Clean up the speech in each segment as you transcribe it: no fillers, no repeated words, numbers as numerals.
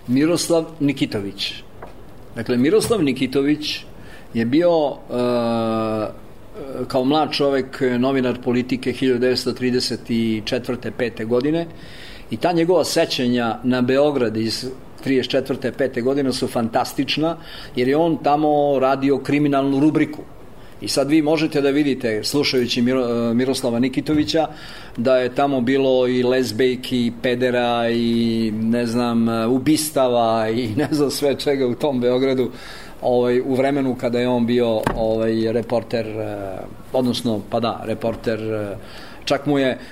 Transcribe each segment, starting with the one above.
Miroslav Nikitović. Dakle, Miroslav Nikitović je bio kao mlad čovek novinar politike 1934. 5. godine i ta njegova sećanja na Beograd iz 34. 5. godine su fantastična, jer je on tamo radio kriminalnu rubriku. I sad vi možete da vidite, slušajući Miroslava Nikitovića, da je tamo bilo i lezbejki, i pedera, i ne znam, ubistava, i ne znam sve čega u tom Beogradu, u vremenu kada je on bio reporter, odnosno, pa da, reporter,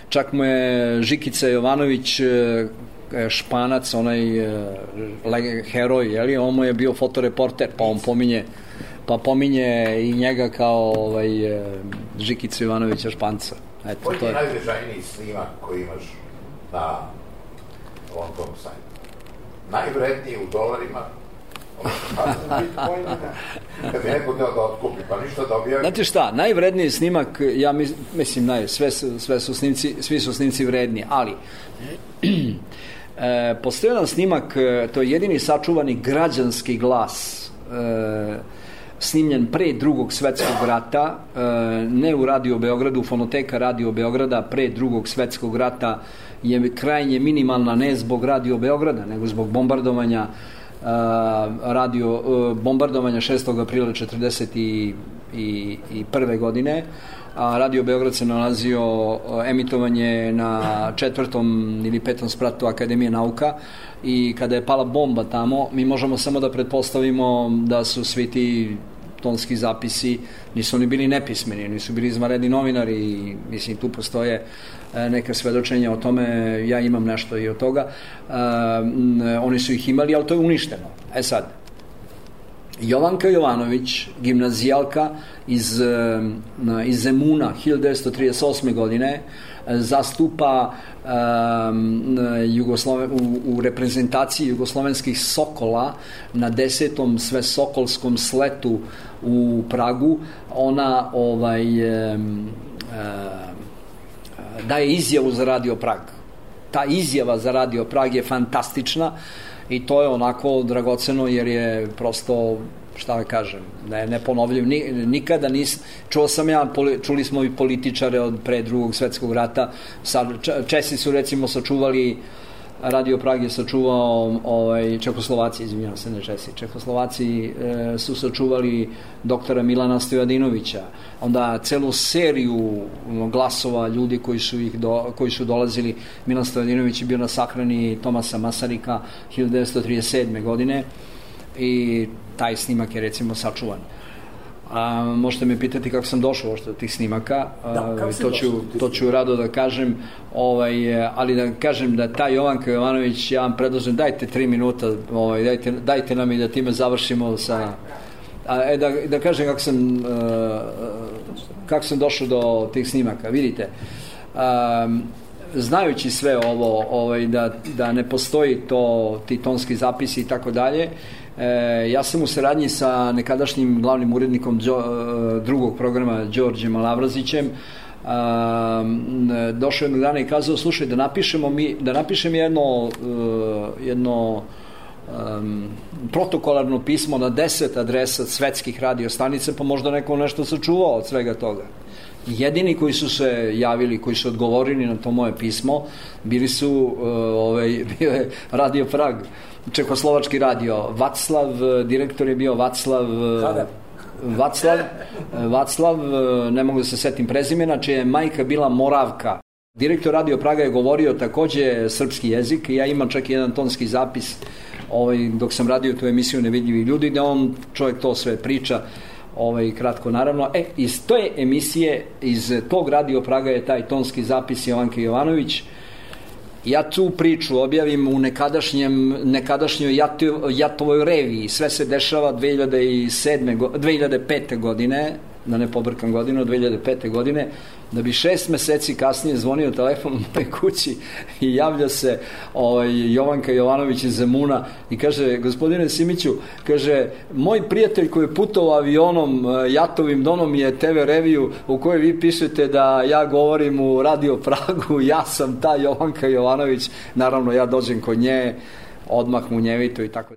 čak mu je Žikica Jovanović, Španac, onaj heroj, jeli, on mu je bio fotoreporter, pa on pominje i njega kao Žikicu Jovanovića Španca. Koji je najznačajniji snimak koji imaš na ovom tom sajtu? Najvredniji u dolarima? Kad bi neko deo da otkupi, pa ništa da objavi. Znate šta, najvredniji snimak, ja mislim, svi su snimci vredni, ali postoji jedan snimak, to je jedini sačuvani građanski glas, snimljen pre Drugog svetskog rata, ne u Radio Beogradu, fonoteka Radio Beograda pre Drugog svetskog rata je krajnje minimalna, ne zbog Radio Beograda, nego zbog bombardovanja 6. aprila 1941. godine. Radio Beograd se nalazio emitovanje na 4. ili 5. spratu Akademije nauka i kada je pala bomba tamo, mi možemo samo da pretpostavimo da su svi ti tonski zapisi, nisu oni bili nepismeni, nisu bili izvanredni novinari i mislim tu postoje neka svedočenja o tome, ja imam nešto i od toga, oni su ih imali, ali to je uništeno. Sad, Jovanka Jovanović, gimnazijalka iz Zemuna 1938. godine, zastupa u reprezentaciji jugoslovenskih Sokola na 10. svesokolskom sletu u Pragu. Ona daje izjavu za Radio Prag. Ta izjava za Radio Prag je fantastična i to je onako dragoceno jer je prosto, šta da kažem, neponovljiv. Nikada čuli smo i političare od pre Drugog svetskog rata. Česi su recimo sačuvali, Radio Prag je sačuvao Čehoslovaci, izvinjavam se, ne Česi, Čehoslovaci su sačuvali doktora Milana Stojadinovića, onda celu seriju glasova ljudi koji su dolazili. Milan Stojadinović je bio na sahrani Tomasa Masarika 1937. godine i taj snimak je recimo sačuvan. Možete me pitati kako sam došao uopšte do tih snimaka, to ću rado da kažem, ali da kažem da ta Jovanka Jovanović, ja vam predlažem, dajte 3 minuta, dajte nam i da time završimo sa... Da kažem kako sam došao do tih snimaka. Vidite, znajući sve ovo, da ne postoji ti tonski zapisi i tako dalje, ja sam u saradnji sa nekadašnjim glavnim urednikom drugog programa Đorđem Lavrazićem došao jednog dana i kazao, slušaj, da napišem jedno protokolarno pismo na 10 adresa svetskih radiostanica, pa možda neko nešto sačuvao od svega toga. Jedini koji su se javili, koji su odgovorili na to moje pismo, bio je Radio Prag, Čehoslovački radio. Vaclav, direktor je bio Vaclav, ne mogu da se setim prezimena, čija je majka bila Moravka. Direktor Radio Praga je govorio takođe srpski jezik i ja imam čak jedan tonski zapis dok sam radio tu emisiju Nevidljivi ljudi, da on čovjek to sve priča, kratko naravno. Iz te emisije, iz tog Radio Praga je taj tonski zapis Jovanke Jovanović. Ja tu priču objavim u nekadašnjoj Jatovoj reviji. Sve se dešava 2005. godine, da ne pobrkam godinu, 2005. godine, da bi 6 meseci kasnije zvonio telefon u mojoj kući i javlja se Jovanka Jovanović iz Zemuna i kaže, gospodine Simiću, kaže, moj prijatelj koji je putovao avionom Jatovim donom je TV reviju u kojoj vi pišete da ja govorim u Radio Pragu, ja sam ta Jovanka Jovanović. Naravno, ja dođem kod nje, odmah munjevito i tako.